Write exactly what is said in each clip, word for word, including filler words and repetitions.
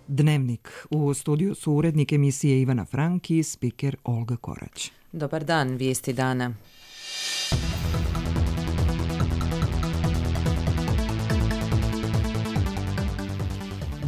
Dnevnik. U studiju su urednik emisije Ivana Frank i spiker Olga Korać. Dobar dan, vijesti dana.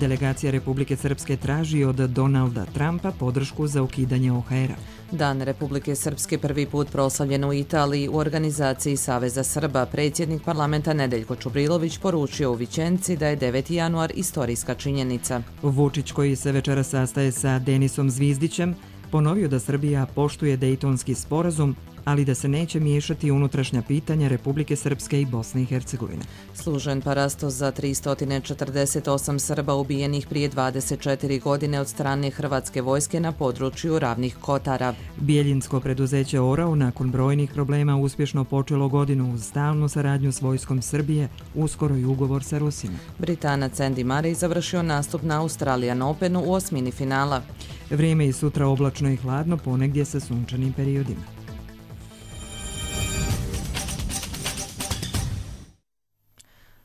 Delegacija Republike Srpske traži od Donalda Trumpa podršku za ukidanje O H R-a. Dan Republike Srpske prvi put proslavljen u Italiji u organizaciji Saveza Srba. Predsjednik parlamenta Nedeljko Čubrilović poručio u Vičenci da je deveti januar istorijska činjenica. Vučić, koji se večera sastaje sa Denisom Zvizdićem, ponovio da Srbija poštuje Dejtonski sporazum, ali da se neće miješati unutrašnja pitanja Republike Srpske i Bosne i Hercegovine. Služen parastos za tristo četrdeset osam Srba ubijenih prije dvadeset četiri godine od strane hrvatske vojske na području Ravnih Kotara. Bijeljinsko preduzeće Orao nakon brojnih problema uspješno počelo godinu uz stalnu saradnju s vojskom Srbije, uskoro i ugovor sa Rusima. Britanac Andy Murray završio nastup na Australian Openu u osmini finala. Vrijeme i sutra oblačno i hladno, ponegdje sa sunčanim periodima.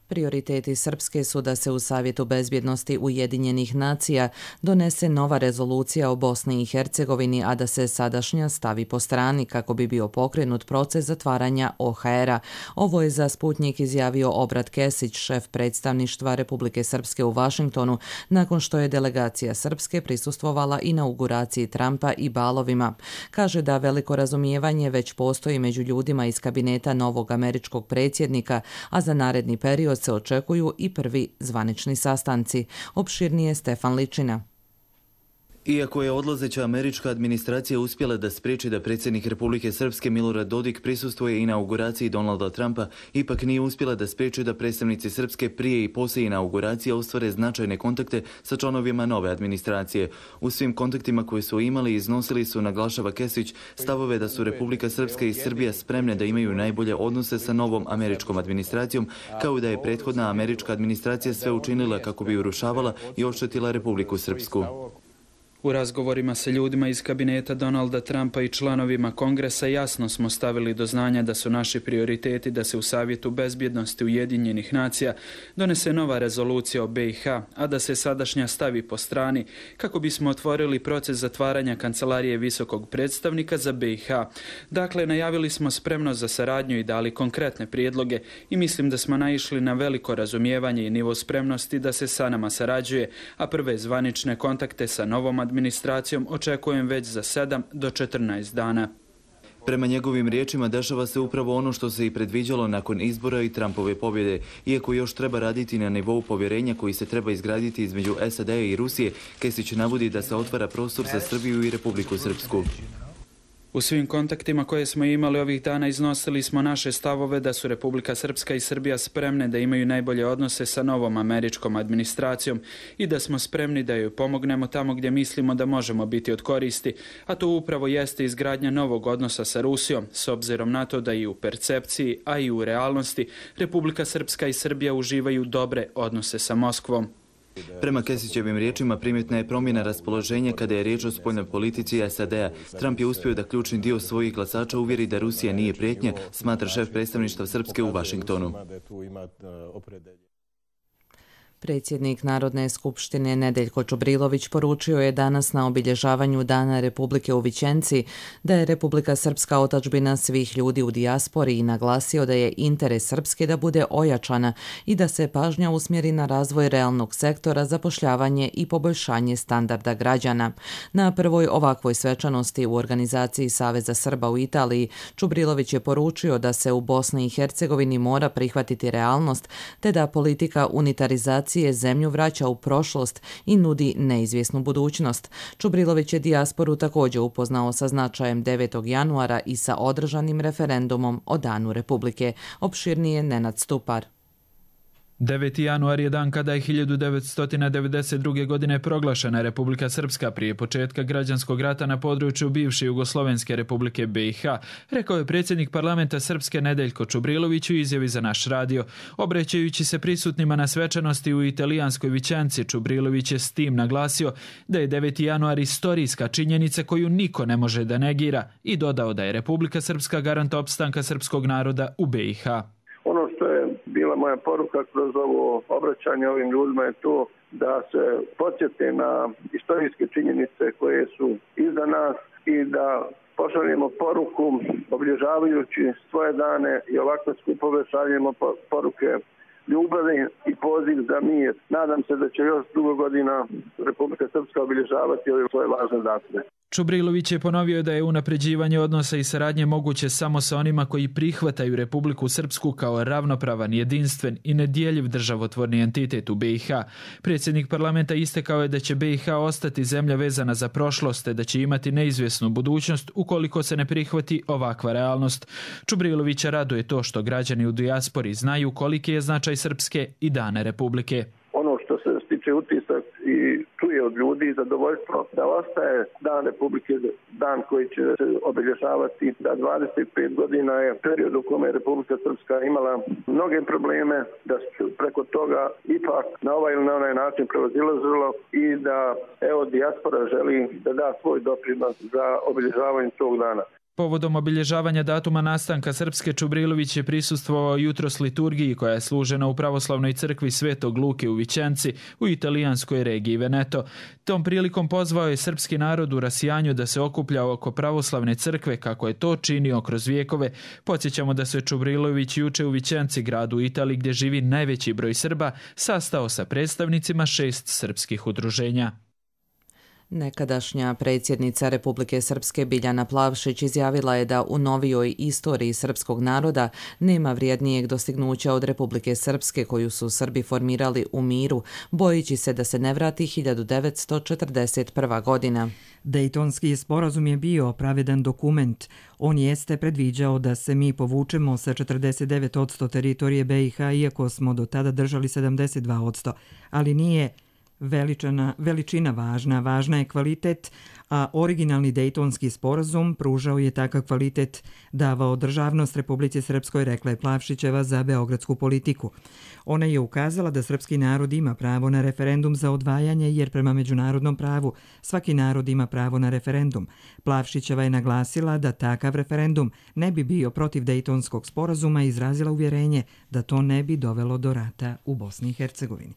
Prioriteti Srpske su da se u Savjetu bezbjednosti Ujedinjenih nacija donese nova rezolucija o Bosni i Hercegovini, a da se sadašnja stavi po strani kako bi bio pokrenut proces zatvaranja O H R-a. Ovo je za Sputnjik izjavio Obrat Kesić, šef predstavništva Republike Srpske u Vašingtonu, nakon što je delegacija Srpske prisustvovala inauguraciji Trumpa i balovima. Kaže da veliko razumijevanje već postoji među ljudima iz kabineta novog američkog predsjednika, a za naredni period se očekuju i prvi zvanični sastanci. Opširnije Stefan Ličina. Iako je odlazeća američka administracija uspjela da spriječi da predsjednik Republike Srpske Milorad Dodik prisustvuje inauguraciji Donalda Trumpa, ipak nije uspjela da spriječi da predstavnici Srpske prije i poslije inauguracije ostvare značajne kontakte sa članovima nove administracije. U svim kontaktima koje su imali iznosili su, naglašava Kesić, stavove da su Republika Srpska i Srbija spremne da imaju najbolje odnose sa novom američkom administracijom, kao i da je prethodna američka administracija sve učinila kako bi urušavala i oštetila Republiku Srpsku. U razgovorima sa ljudima iz kabineta Donalda Trumpa i članovima Kongresa jasno smo stavili do znanja da su naši prioriteti da se u Savjetu bezbjednosti Ujedinjenih nacija donese nova rezolucija o B i H, a da se sadašnja stavi po strani kako bismo otvorili proces zatvaranja kancelarije visokog predstavnika za B i H. Dakle, najavili smo spremnost za saradnju i dali konkretne prijedloge i mislim da smo naišli na veliko razumijevanje i nivo spremnosti da se sa nama sarađuje, a prve zvanične kontakte sa novom administracijom očekujem već za sedam do četrnaest dana. Prema njegovim riječima dešava se upravo ono što se i predviđalo nakon izbora i Trumpove pobjede. Iako još treba raditi na nivou povjerenja koji se treba izgraditi između S A D-a i Rusije, Kesić navodi da se otvara prostor za Srbiju i Republiku Srpsku. U svim kontaktima koje smo imali ovih dana iznosili smo naše stavove da su Republika Srpska i Srbija spremne da imaju najbolje odnose sa novom američkom administracijom i da smo spremni da joj pomognemo tamo gdje mislimo da možemo biti od koristi, a to upravo jeste izgradnja novog odnosa sa Rusijom, s obzirom na to da i u percepciji, a i u realnosti Republika Srpska i Srbija uživaju dobre odnose sa Moskvom. Prema Kesićevim riječima primjetna je promjena raspoloženja kada je riječ o spoljnoj politici S A D-a. Trump je uspio da ključni dio svojih glasača uvjeri da Rusija nije prijetnja, smatra šef predstavništva Srpske u Vašingtonu. Predsjednik Narodne skupštine Nedeljko Čubrilović poručio je danas na obilježavanju Dana Republike u Vičenci da je Republika Srpska otadžbina svih ljudi u dijaspori i naglasio da je interes Srpske da bude ojačana i da se pažnja usmjeri na razvoj realnog sektora, zapošljavanje i poboljšanje standarda građana. Na prvoj ovakvoj svečanosti u organizaciji Saveza Srba u Italiji Čubrilović je poručio da se u Bosni i Hercegovini mora prihvatiti realnost te da politika unitarizacije zemlju vraća u prošlost i nudi neizvjesnu budućnost. Čubrilović je dijasporu također upoznao sa značajem devetog januara i sa održanim referendumom o Danu Republike. Opširnije Nenad Stupar. deveti januar je dan kada je hiljadu devetsto devedeset druge. godine proglašena Republika Srpska prije početka građanskog rata na području bivše Jugoslovenske Republike B i H, rekao je predsjednik parlamenta Srpske Nedeljko Čubrilović u izjavi za naš radio. Obraćajući se prisutnima na svečanosti u italijanskoj Vičenci, Čubrilović je s tim naglasio da je deveti januar istorijska činjenica koju niko ne može da negira i dodao da je Republika Srpska garant opstanka srpskog naroda u B i H. Ono što je bilo bila moja poruka kroz ovo obraćanje ovim ljudima je to da se podsjete na istorijske činjenice koje su iza nas i da pošaljemo poruku obilježavajući svoje dane i ovakve skupove šaljemo poruke ljubavi i poziv za mir. Nadam se da će još dugo godina Republika Srpska obilježavati ove svoje važne datume. Čubrilović je ponovio da je unapređivanje odnosa i saradnje moguće samo sa onima koji prihvataju Republiku Srpsku kao ravnopravan, jedinstven i nedjeljiv državotvorni entitet u be i ha. Predsjednik parlamenta istakao je da će be i ha ostati zemlja vezana za prošlost, te da će imati neizvjesnu budućnost ukoliko se ne prihvati ovakva realnost. Čubrilovića raduje to što građani u dijaspori znaju koliki je značaj Srpske i dane Republike. Ono što se stiče utisak i čuje od ljudi zadovoljstvo da ostaje Dan Republike, dan koji će se obilježavati, da dvadeset pet godina je period u kome je Republika Srpska imala mnoge probleme, da su preko toga ipak na ovaj ili na onaj način prevazilazilo i da evo dijaspora želi da da svoj doprinos za obilježavanje tog dana. Povodom obilježavanja datuma nastanka Srpske, Čubrilović je prisustvovao jutros liturgiji koja je služena u pravoslavnoj crkvi Svetog Luke u Vičenci u italijanskoj regiji Veneto. Tom prilikom pozvao je srpski narod u rasijanju da se okuplja oko pravoslavne crkve kako je to činio kroz vijekove. Podsjećamo da se Čubrilović juče u Vičenci, gradu u Italiji gdje živi najveći broj Srba, sastao sa predstavnicima šest srpskih udruženja. Nekadašnja predsjednica Republike Srpske Biljana Plavšić izjavila je da u novijoj istoriji srpskog naroda nema vrijednijeg dostignuća od Republike Srpske koju su Srbi formirali u miru, bojeći se da se ne vrati hiljadu devetsto četrdeset prva godina. Dejtonski sporazum je bio pravedan dokument. On jeste predviđao da se mi povučemo sa četrdeset devet posto teritorije be i ha, iako smo do tada držali sedamdeset dva posto, ali nije Veličana, veličina važna, važna je kvalitet, a originalni Dejtonski sporazum pružao je takav kvalitet, davao državnost Republici Srpskoj, rekla je Plavšićeva za beogradsku politiku. Ona je ukazala da srpski narod ima pravo na referendum za odvajanje, jer prema međunarodnom pravu svaki narod ima pravo na referendum. Plavšićeva je naglasila da takav referendum ne bi bio protiv Dejtonskog sporazuma i izrazila uvjerenje da to ne bi dovelo do rata u Bosni i Hercegovini.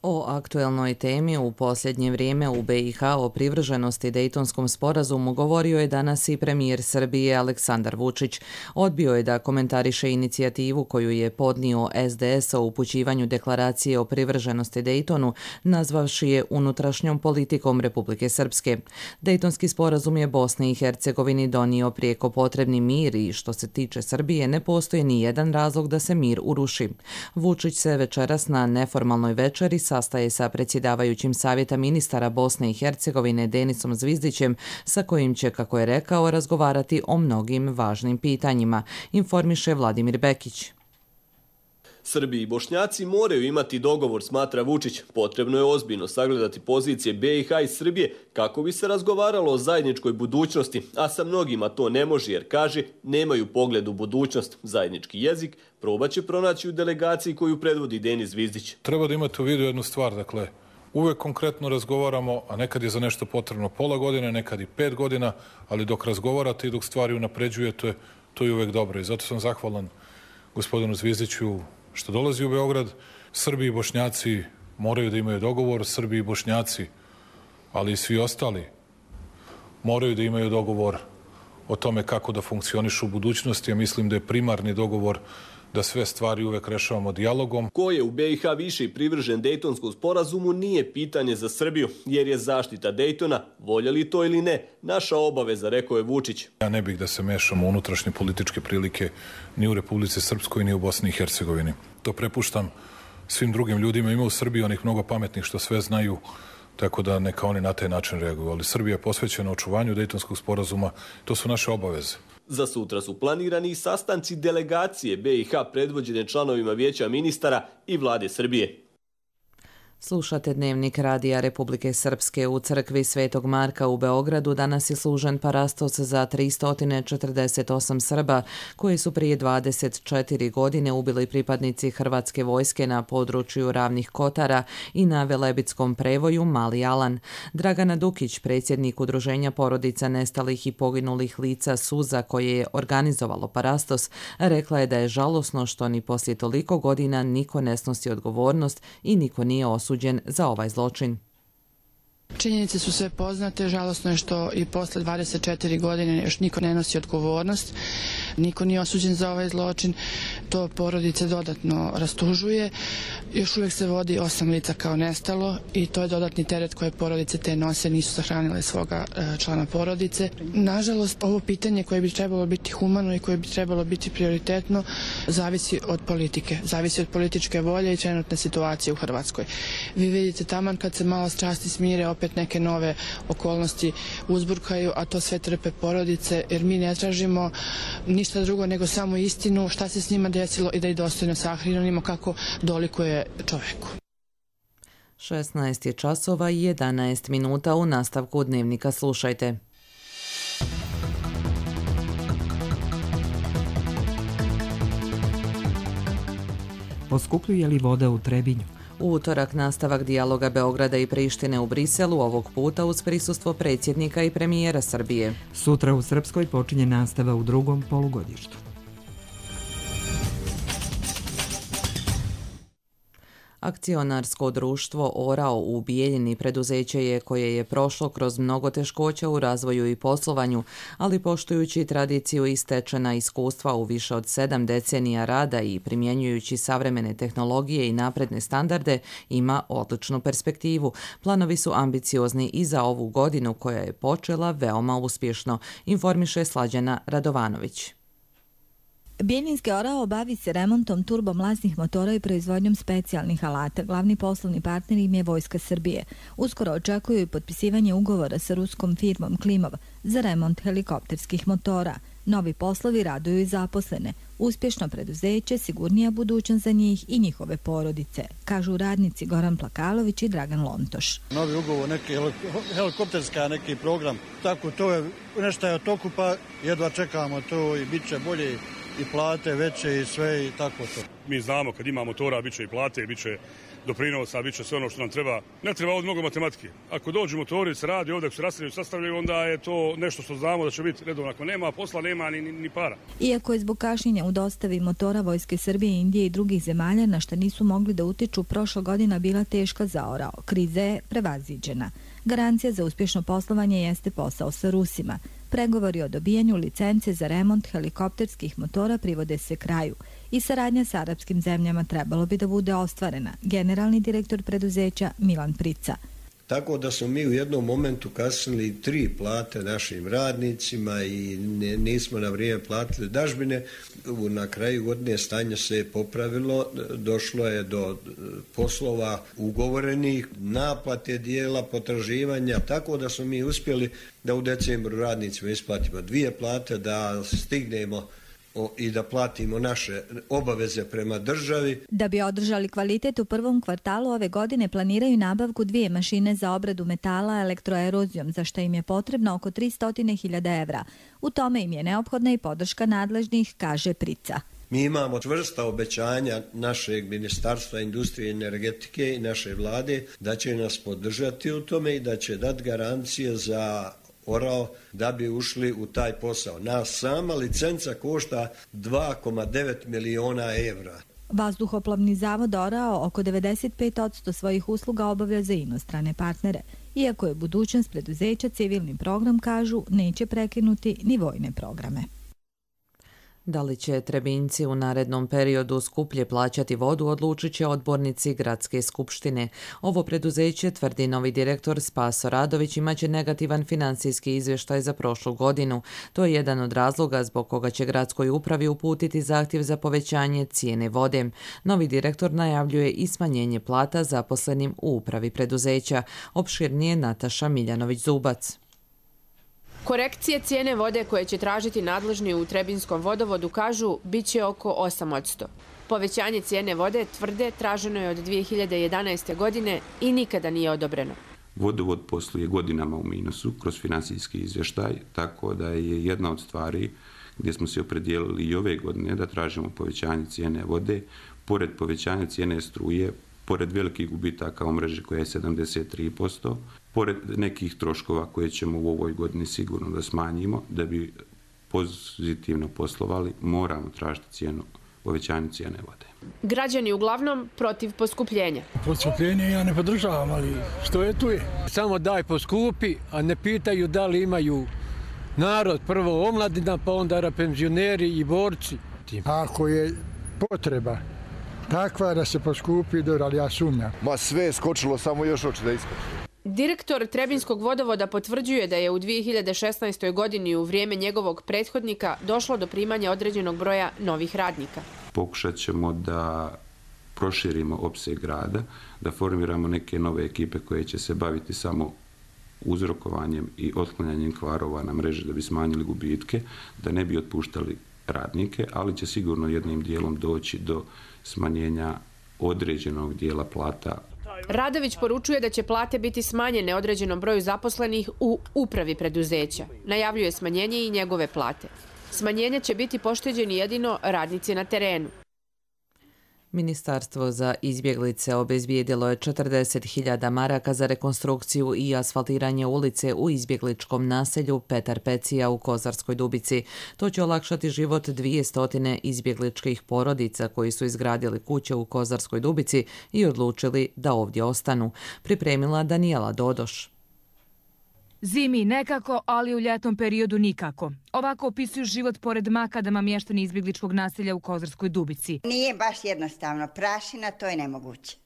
O aktuelnoj temi u posljednje vrijeme u be i ha o privrženosti Dejtonskom sporazumu govorio je danas i premijer Srbije Aleksandar Vučić. Odbio je da komentariše inicijativu koju je podnio es de es o upućivanju deklaracije o privrženosti Dejtonu, nazvavši je unutrašnjom politikom Republike Srpske. Dejtonski sporazum je Bosni i Hercegovini donio prijeko potrebni mir i što se tiče Srbije ne postoji ni jedan razlog da se mir uruši. Vučić se večeras na neformalnoj večeri sastaje sa predsjedavajućim Savjeta ministara Bosne i Hercegovine Denisom Zvizdićem, sa kojim će, kako je rekao, razgovarati o mnogim važnim pitanjima, informiše Vladimir Bekić. Srbi i Bošnjaci moraju imati dogovor, smatra Vučić. Potrebno je ozbiljno sagledati pozicije be i ha i Srbije kako bi se razgovaralo o zajedničkoj budućnosti, a sa mnogima to ne može jer, kaže, nemaju pogled u budućnost. Zajednički jezik probat će pronaći u delegaciji koju predvodi Denis Zvizdić. Treba da imate u vidu jednu stvar, dakle, uvek konkretno razgovaramo, a nekad je za nešto potrebno pola godine, nekad i pet godina, ali dok razgovarate i dok stvari unapređujete, to je uvek dobro. I zato sam zahvalan gospodinu Zvizdiću što dolazi u Beograd. Srbi i Bošnjaci moraju da imaju dogovor, Srbi i Bošnjaci, ali i svi ostali, moraju da imaju dogovor o tome kako da funkcionišu u budućnosti. Ja mislim da je primarni dogovor da sve stvari uvek rešavamo dijalogom. Ko je u be i ha više privržen Dejtonskom sporazumu nije pitanje za Srbiju, jer je zaštita Dejtona, voljeli to ili ne, naša obaveza, rekao je Vučić. Ja ne bih da se mešam u unutrašnje političke prilike ni u Republici Srpskoj, ni u Bosni i Hercegovini. To prepuštam svim drugim ljudima. Ima u Srbiji onih mnogo pametnih što sve znaju, tako da neka oni na taj način reaguju. Ali Srbija je posvećena očuvanju Dejtonskog sporazuma, to su naše obaveze. Za sutra su planirani sastanci delegacije be i ha predvođene članovima Vijeća ministara i vlade Srbije. Slušate Dnevnik Radija Republike Srpske. U crkvi Svetog Marka u Beogradu danas je služen parastos za tristo četrdeset osam Srba koji su prije dvadeset četiri godine ubili pripadnici Hrvatske vojske na području Ravnih Kotara i na Velebitskom prevoju Mali Alan. Dragana Dukić, predsjednik Udruženja porodica nestalih i poginulih lica Suza koje je organizovalo parastos, rekla je da je žalosno što ni poslije toliko godina niko ne snosi odgovornost i niko nije osuđen za ovaj zločin. Činjenice su sve poznate, žalosno je što i posle dvadeset četiri godine još niko ne nosi odgovornost, niko nije osuđen za ovaj zločin, to porodice dodatno rastužuje. Još uvijek se vodi osam lica kao nestalo i to je dodatni teret koje porodice te nose, nisu sahranile svoga člana porodice. Nažalost, ovo pitanje koje bi trebalo biti humano i koje bi trebalo biti prioritetno zavisi od politike, zavisi od političke volje i trenutne situacije u Hrvatskoj. Vi vidite taman kad se malo strasti smire, opet neke nove okolnosti uzburkaju, a to sve trpe porodice, jer mi ne tražimo ništa drugo nego samo istinu, šta se s njima desilo i da ih dostojno sahranimo kako dolikuje čoveku. šesnaest je časova i jedanaest minuta. U nastavku Dnevnika slušajte. Poskupljuje li voda u Trebinju? U utorak nastavak dijaloga Beograda i Prištine u Briselu, ovog puta uz prisustvo predsjednika i premijera Srbije. Sutra u Srpskoj počinje nastava u drugom polugodištu. Akcionarsko društvo Orao u Bijeljini preduzeće je koje je prošlo kroz mnogo teškoća u razvoju i poslovanju, ali poštujući tradiciju i stečena iskustva u više od sedam decenija rada i primjenjujući savremene tehnologije i napredne standarde, ima odličnu perspektivu. Planovi su ambiciozni i za ovu godinu koja je počela veoma uspješno, informiše Slađana Radovanović. Bijeljinski Orao bavi se remontom turbomlaznih motora i proizvodnjom specijalnih alata. Glavni poslovni partner im je Vojska Srbije. Uskoro očekuju i potpisivanje ugovora sa ruskom firmom Klimov za remont helikopterskih motora. Novi poslovi raduju i zaposlene. Uspješno preduzeće, sigurnija budućnost za njih i njihove porodice, kažu radnici Goran Plakalović i Dragan Lontoš. Novi ugovor, neki helikopterska, neki program, tako to je nešto je od toku, pa jedva čekamo to i bit će bolje i plate veće i sve i tako to. Mi znamo kad ima motora bit će i plate, bit će doprinosa, bit će sve ono što nam treba. Ne treba ovdje mnogo matematike. Ako dođu motori, se radi ovdje, ako se rastavljaju, sastavljaju, onda je to nešto što znamo da će biti redovno. Ako nema posla, nema ni, ni, ni para. Iako je zbog kašnjenja u dostavi motora Vojske Srbije, Indije i drugih zemalja na što nisu mogli da utiču, prošla godina bila teška za Orao. Kriza je prevaziđena. Garancija za uspješno poslovanje jeste posao sa Rusima. Pregovori o dobijanju licence za remont helikopterskih motora privode se kraju i saradnja s arapskim zemljama trebalo bi da bude ostvarena. Generalni direktor preduzeća Milan Prica. Tako da smo mi u jednom momentu kasnili tri plate našim radnicima i ne, nismo na vrijeme platili dažbine. Na kraju godine stanje se je popravilo, došlo je do poslova ugovorenih, naplate dijela, potraživanja, tako da smo mi uspjeli da u decembru radnicima isplatimo dvije plate, da stignemo i da platimo naše obaveze prema državi. Da bi održali kvalitet u prvom kvartalu ove godine planiraju nabavku dvije mašine za obradu metala elektroerozijom, za što im je potrebno oko tristo hiljada evra. U tome im je neophodna i podrška nadležnih, kaže Prica. Mi imamo čvrsta obećanja našeg Ministarstva industrije i energetike i naše vlade da će nas podržati u tome i da će dati garancije za Orao da bi ušli u taj posao. Nas sama licenca košta dva zarez devet miliona evra. Vazduhoplovni zavod Orao oko devedeset pet posto svojih usluga obavlja za inostrane partnere. Iako je budućnost preduzeća civilni program, kažu, neće prekinuti ni vojne programe. Da li će Trebinjci u narednom periodu skuplje plaćati vodu, odlučit će odbornici Gradske skupštine. Ovo preduzeće, tvrdi novi direktor Spaso Radović, imaće negativan finansijski izvještaj za prošlu godinu. To je jedan od razloga zbog koga će gradskoj upravi uputiti zahtjev za povećanje cijene vode. Novi direktor najavljuje i smanjenje plata zaposlenim u upravi preduzeća. Opširnije Nataša Miljanović-Zubac. Korekcije cijene vode koje će tražiti nadležni u Trebinskom vodovodu, kažu, bit će oko osam posto. Povećanje cijene vode, tvrde, traženo je od dvije hiljade jedanaeste. godine i nikada nije odobreno. Vodovod posluje godinama u minusu kroz financijski izvještaj, tako da je jedna od stvari gdje smo se opredijelili i ove godine da tražimo povećanje cijene vode, pored povećanja cijene struje, pored velikih gubitaka u mreži koja je sedamdeset tri posto, pored nekih troškova koje ćemo u ovoj godini sigurno da smanjimo, da bi pozitivno poslovali, moramo tražiti cijenu, povećanje cijene vode. Građani uglavnom protiv poskupljenja. Poskupljenje ja ne podržavam, ali što je tu je. Samo daj poskupi, a ne pitaju da li imaju narod, prvo omladina, pa onda penzioneri i borci. Ako je potreba takva da se poskupi, dobro, ali ja sumnjam. Ma sve je skočilo, samo još hoće da iskoči. Direktor Trebinskog vodovoda potvrđuje da je u dvije hiljade šesnaestoj. godini u vrijeme njegovog prethodnika došlo do primanja određenog broja novih radnika. Pokušat ćemo da proširimo opseg rada, da formiramo neke nove ekipe koje će se baviti samo uzrokovanjem i otklanjanjem kvarova na mreži da bi smanjili gubitke, da ne bi otpuštali radnike, ali će sigurno jednim dijelom doći do smanjenja određenog dijela plata. Radović poručuje da će plate biti smanjene određenom broju zaposlenih u upravi preduzeća. Najavljuje smanjenje i njegove plate. Smanjenje će biti pošteđeni jedino radnici na terenu. Ministarstvo za izbjeglice obezbijedilo je četrdeset hiljada maraka za rekonstrukciju i asfaltiranje ulice u izbjegličkom naselju Petar Pecija u Kozarskoj Dubici. To će olakšati život dvjesto izbjegličkih porodica koji su izgradili kuće u Kozarskoj Dubici i odlučili da ovdje ostanu. Pripremila Danijela Dodoš. Zimi nekako, ali u ljetnom periodu nikako. Ovako opisuju život pored makadama mještani izbjegličkog naselja u Kozarskoj Dubici. Nije baš jednostavno. Prašina, to je nemoguće.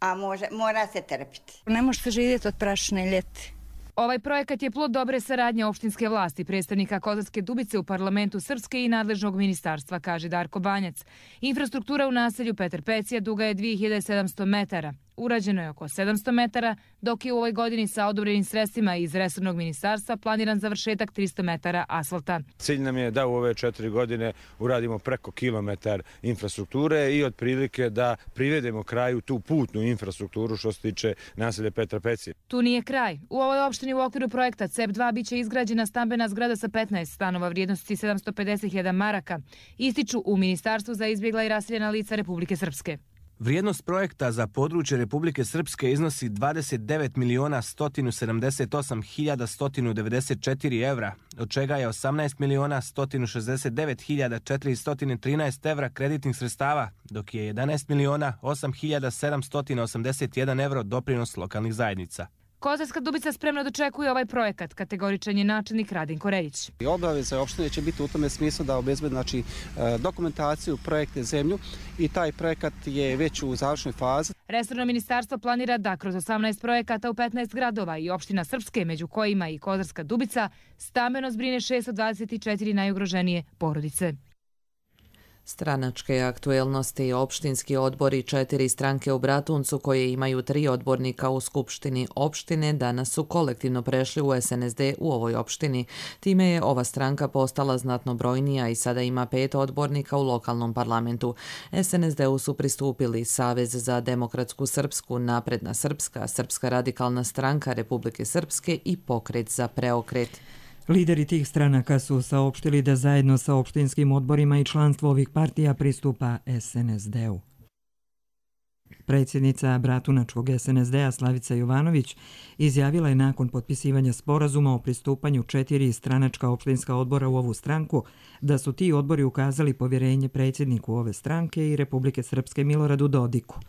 A može, mora se trpiti. Ne može se živjeti od prašine ljeti. Ovaj projekat je plod dobre saradnje opštinske vlasti, predstavnika Kozarske Dubice u parlamentu Srpske i nadležnog ministarstva, kaže Darko Banjac. Infrastruktura u naselju Petar Pecija duga je dvije hiljade sedamsto metara. Urađeno je oko sedamsto metara, dok je u ovoj godini sa odobrenim sredstvima iz resornog ministarstva planiran završetak tristo metara asfalta. Cilj nam je da u ove četiri godine uradimo preko kilometar infrastrukture i otprilike da privedemo kraju tu putnu infrastrukturu što se tiče naselja Petra Pecija. Tu nije kraj. U ovoj opštini u okviru projekta C E P dva biće izgrađena stambena zgrada sa petnaest stanova vrijednosti sedamsto pedeset hiljada maraka, ističu u Ministarstvu za izbjegla i raseljena lica Republike Srpske. Vrijednost projekta za područje Republike Srpske iznosi dvadeset devet miliona sto sedamdeset osam hiljada sto devedeset četiri evra, od čega je osamnaest miliona sto šezdeset devet hiljada četiristo trinaest evra kreditnih sredstava, dok je jedanaest miliona osam hiljada sedamsto osamdeset jedan evro doprinos lokalnih zajednica. Kozarska Dubica spremno dočekuje ovaj projekat, kategoričan je načelnik Radin Koreljić. Obaveza opštine će biti u tome smislu da obezbedi znači, dokumentaciju, projekte, zemlju i taj projekat je već u završnoj fazi. Resorno ministarstvo planira da kroz osamnaest projekata u petnaest gradova i opština Srpske, među kojima i Kozarska Dubica, stambeno zbrine šessto dvadeset četiri najugroženije porodice. Stranačke aktuelnosti, opštinski odbor i četiri stranke u Bratuncu koje imaju tri odbornika u Skupštini opštine danas su kolektivno prešli u S N S D u ovoj opštini. Time je ova stranka postala znatno brojnija i sada ima pet odbornika u lokalnom parlamentu. S N S D-u su pristupili Savez za demokratsku srpsku, Napredna srpska, Srpska radikalna stranka Republike Srpske i Pokret za preokret. Lideri tih stranaka su saopštili da zajedno sa opštinskim odborima i članstvo ovih partija pristupa S N S D-u. Predsjednica Bratunačkog S N S D-a Slavica Jovanović izjavila je nakon potpisivanja sporazuma o pristupanju četiri stranačka opštinska odbora u ovu stranku da su ti odbori ukazali povjerenje predsjedniku ove stranke i Republike Srpske Miloradu Dodiku.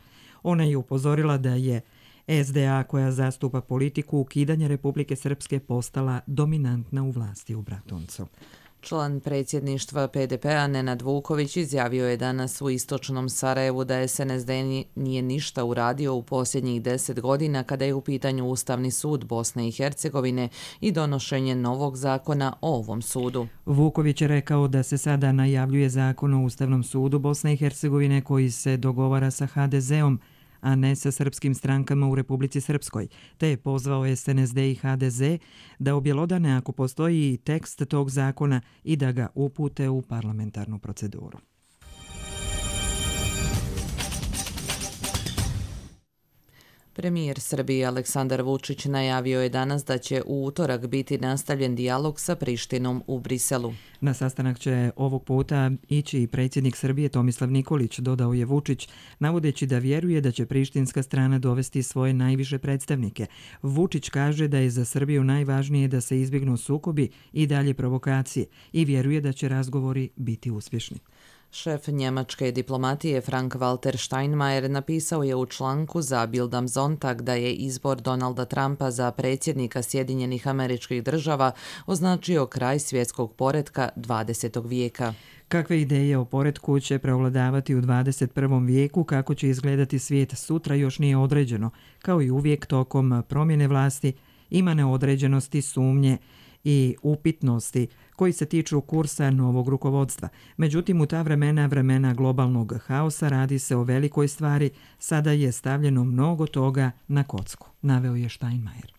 Ona je upozorila da je S D A koja zastupa politiku ukidanja Republike Srpske postala dominantna u vlasti u Bratuncu. Član predsjedništva P D P-a Nenad Vuković izjavio je danas u istočnom Sarajevu da S N S D nije ništa uradio u posljednjih deset godina kada je u pitanju Ustavni sud Bosne i Hercegovine i donošenje novog zakona o ovom sudu. Vuković je rekao da se sada najavljuje zakon o Ustavnom sudu Bosne i Hercegovine koji se dogovara sa H D Z-om, a ne sa srpskim strankama u Republici Srpskoj, te je pozvao S N S D i H D Z da objelodane ako postoji tekst tog zakona i da ga upute u parlamentarnu proceduru. Premijer Srbije Aleksandar Vučić najavio je danas da će u utorak biti nastavljen dijalog sa Prištinom u Briselu. Na sastanak će ovog puta ići i predsjednik Srbije Tomislav Nikolić, dodao je Vučić, navodeći da vjeruje da će prištinska strana dovesti svoje najviše predstavnike. Vučić kaže da je za Srbiju najvažnije da se izbjegnu sukobi i dalje provokacije i vjeruje da će razgovori biti uspješni. Šef njemačke diplomatije Frank-Walter Steinmeier napisao je u članku za Bild am Sonntag da je izbor Donalda Trumpa za predsjednika Sjedinjenih Američkih Država označio kraj svjetskog poretka dvadesetog vijeka. Kakve ideje o poretku će prevladavati u dvadeset prvom vijeku, kako će izgledati svijet sutra još nije određeno. Kao i uvijek tokom promjene vlasti ima neodređenosti, sumnje i upitnosti koji se tiču kursa novog rukovodstva. Međutim, u ta vremena, vremena globalnog haosa, radi se o velikoj stvari, sada je stavljeno mnogo toga na kocku, naveo je Steinmeier.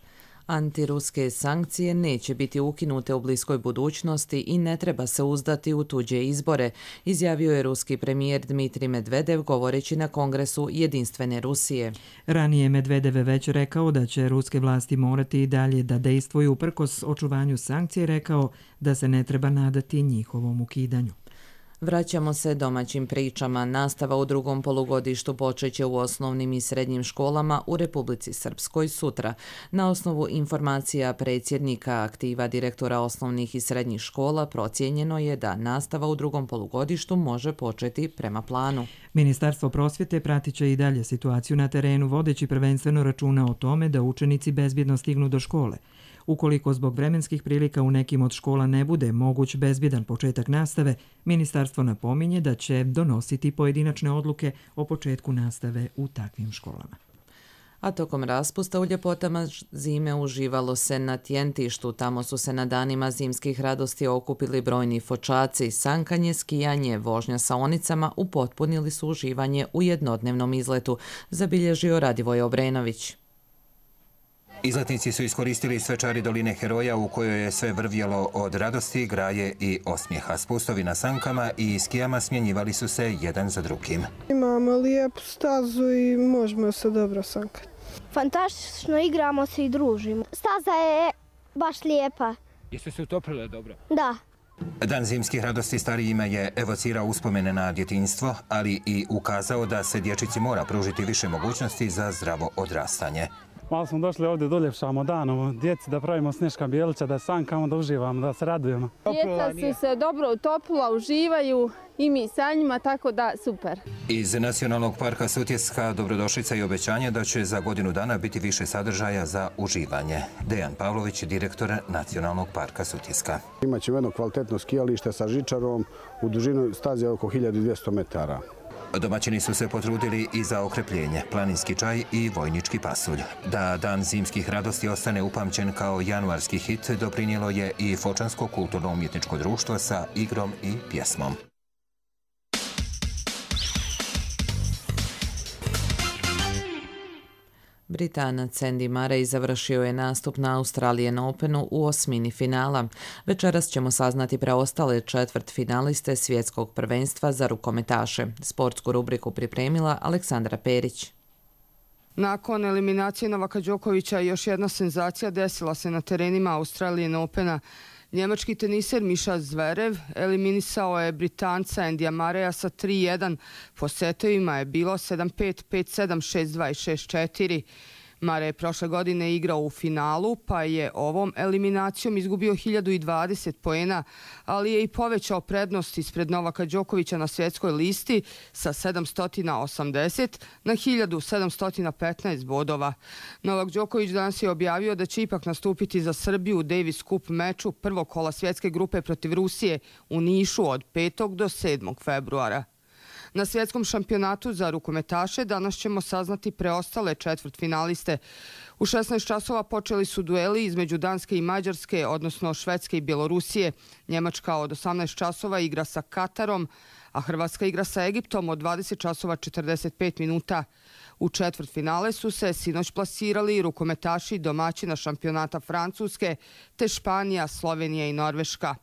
Antiruske sankcije neće biti ukinute u bliskoj budućnosti i ne treba se uzdati u tuđe izbore, izjavio je ruski premijer Dmitrij Medvedev govoreći na Kongresu Jedinstvene Rusije. Ranije Medvedev je već rekao da će ruske vlasti morati i dalje da dejstvuju uprkos očuvanju sankcije, rekao da se ne treba nadati njihovom ukidanju. Vraćamo se domaćim pričama. Nastava u drugom polugodištu počeće u osnovnim i srednjim školama u Republici Srpskoj sutra. Na osnovu informacija predsjednika aktiva direktora osnovnih i srednjih škola procijenjeno je da nastava u drugom polugodištu može početi prema planu. Ministarstvo prosvjete pratit će i dalje situaciju na terenu, vodeći prvenstveno računa o tome da učenici bezbjedno stignu do škole. Ukoliko zbog vremenskih prilika u nekim od škola ne bude moguć bezbjedan početak nastave, ministarstvo napominje da će donositi pojedinačne odluke o početku nastave u takvim školama. A tokom raspusta u ljepotama zime uživalo se na Tjentištu. Tamo su se na danima zimskih radosti okupili brojni fočaci. Sankanje, skijanje, vožnja sa onicama upotpunili su uživanje u jednodnevnom izletu, zabilježio Radivoj Obrenović. Izletnici su iskoristili svečari doline Heroja u kojoj je sve vrvjelo od radosti, graje i osmijeha. Spustovi na sankama i skijama smjenjivali su se jedan za drugim. Imamo lijepu stazu i možemo se dobro sankati. Fantastično, igramo se i družimo. Staza je baš lijepa. Jeste se utoprile dobro? Da. Dan zimskih radosti starijima je evocirao uspomene na djetinjstvo, ali i ukazao da se dječici mora pružiti više mogućnosti za zdravo odrastanje. Malo smo došli ovdje da uljepšamo dan, djeci da pravimo sneška bijelića, da sankamo, da uživamo, da se radujemo. Djeca su se dobro utopila, uživaju i mi sa njima, tako da super. Iz Nacionalnog parka Sutjeska dobrodošlica i obećanje da će za godinu dana biti više sadržaja za uživanje. Dejan Pavlović, direktor Nacionalnog parka Sutjeska. Imaćemo jedno kvalitetno skijalište sa žičarom u dužinu staze oko hiljadu dvjesto metara. Domaćini su se potrudili i za okrepljenje, planinski čaj i vojnički pasulj. Da dan zimskih radosti ostane upamćen kao januarski hit, doprinijelo je i Fočansko kulturno-umjetničko društvo sa igrom i pjesmom. Britanac Andy Murray završio je nastup na Australian Openu u osmini finala. Večeras ćemo saznati preostale četvrt finaliste svjetskog prvenstva za rukometaše. Sportsku rubriku pripremila Aleksandra Perić. Nakon eliminacije Novaka Đokovića još jedna senzacija desila se na terenima Australian Opena. Njemački teniser Miša Zverev eliminisao je Britanca Andyja Murraya sa tri jedan. Po setovima je bilo sedam pet, pet sedam, šest dva i šest četiri. Murray je prošle godine igrao u finalu, pa je ovom eliminacijom izgubio hiljadu dvadeset poena, ali je i povećao prednost ispred Novaka Đokovića na svjetskoj listi sa sedamsto osamdeset na hiljadu sedamsto petnaest bodova. Novak Đoković danas je objavio da će ipak nastupiti za Srbiju u Davis Cup meču prvog kola svjetske grupe protiv Rusije u Nišu od petog do sedmog februara. Na svjetskom šampionatu za rukometaše danas ćemo saznati preostale četvrtfinaliste. U šesnaest časova počeli su dueli između Danske i Mađarske, odnosno Švedske i Bjelorusije. Njemačka od osamnaest časova igra sa Katarom, a Hrvatska igra sa Egiptom od dvadeset časova četrdeset pet minuta. U četvrtfinale su se sinoć plasirali rukometaši domaćina šampionata Francuske, te Španija, Slovenija i Norveška.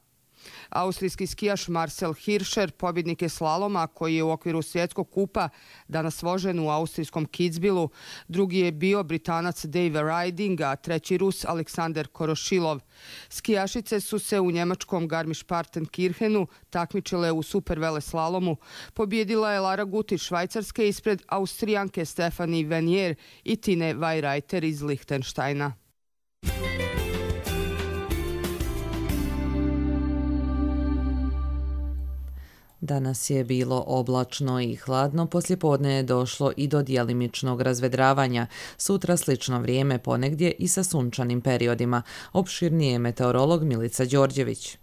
Austrijski skijaš Marcel Hirscher pobjednik je slaloma koji je u okviru svjetskog kupa danas vožen u austrijskom Kitzbühelu. Drugi je bio Britanac Dave Riding, a treći Rus Aleksander Korošilov. Skijašice su se u njemačkom Garmisch-Partenkirchenu takmičile u supervele slalomu. Pobjedila je Lara Gut iz Švajcarske ispred Austrijanke Stefanie Venier i Tine Weirreiter iz Lichtensteina. Danas je bilo oblačno i hladno, poslijepodne je došlo i do djelimičnog razvedravanja. Sutra slično vrijeme ponegdje i sa sunčanim periodima. Opširnije je meteorolog Milica Đorđević.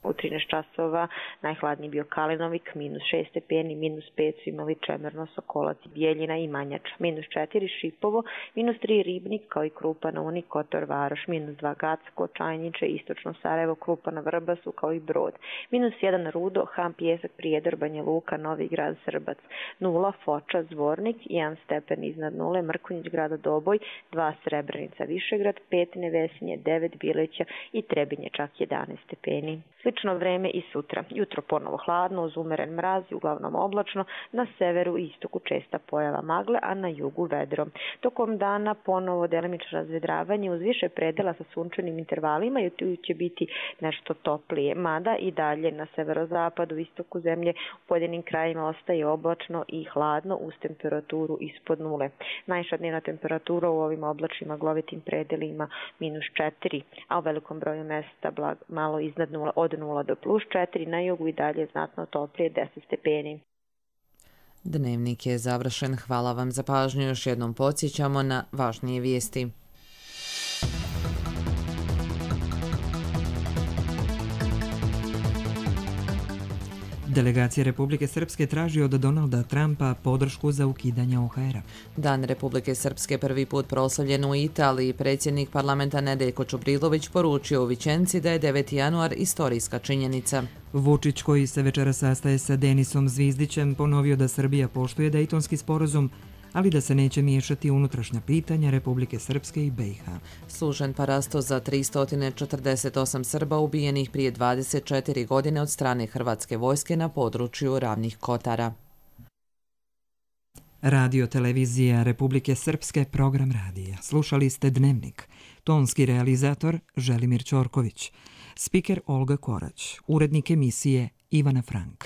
U trinaest časova najhladniji bio Kalinovik, minus šest stepeni, minus pet su imali Čemerno, Sokolac, Bijeljina i Manjača, minus četiri Šipovo, minus tri Ribnik kao i Krupan, Uni, Kotor, Varoš, minus dva Gacko, Čajniče, Istočno Sarajevo, Krupana, Vrbasu kao i Brod, minus jedan Rudo, Ham, Pijesak, Prijedor, Banja Luka, Novi Grad, Srbac, nula Foča, Zvornik, jedan stepen iznad nule, Mrkonjić, Grada Doboj, dva Srebrenica, Višegrad, pet Nevesinje, devet Bileća i Trebinje, čak jedanaest stepeni. Slično vreme i sutra. Jutro ponovo hladno, uz umeren mraz i uglavnom oblačno, na severu i istoku česta pojava magle, a na jugu vedro. Tokom dana ponovo delimično razvedravanje uz više predela sa sunčanim intervalima i tu će biti nešto toplije, mada i dalje na severozapadu, istoku zemlje u pojedinim krajima ostaje oblačno i hladno uz temperaturu ispod nule. Najviša dnevna temperatura u ovim oblačnim maglovitim predelima minus četiri, a u velikom broju mesta blag, malo iznad nula, od nula do plus četiri, na jugu i dalje znatno toplije deset stepeni. Dnevnik je završen. Hvala vam za pažnju. Još jednom podsjećamo na važnije vijesti. Delegacija Republike Srpske traži od Donalda Trumpa podršku za ukidanje O H R-a. Dan Republike Srpske prvi put proslavljen u Italiji. Predsjednik parlamenta Nedeljko Čubrilović poručio u Vičenci da je deveti januar istorijska činjenica. Vučić, koji se večera sastaje sa Denisom Zvizdićem, ponovio da Srbija poštuje Dejtonski sporazum, ali da se neće miješati unutrašnja pitanja Republike Srpske i B i H. Služen parasto za tristo četrdeset osam Srba ubijenih prije dvadeset četiri godine od strane Hrvatske vojske na području Ravnih Kotara. Radio televizija Republike Srpske, program radija. Slušali ste Dnevnik. Tonski realizator Želimir Ćorković. Spiker Olga Korać. Urednik emisije Ivana Frank.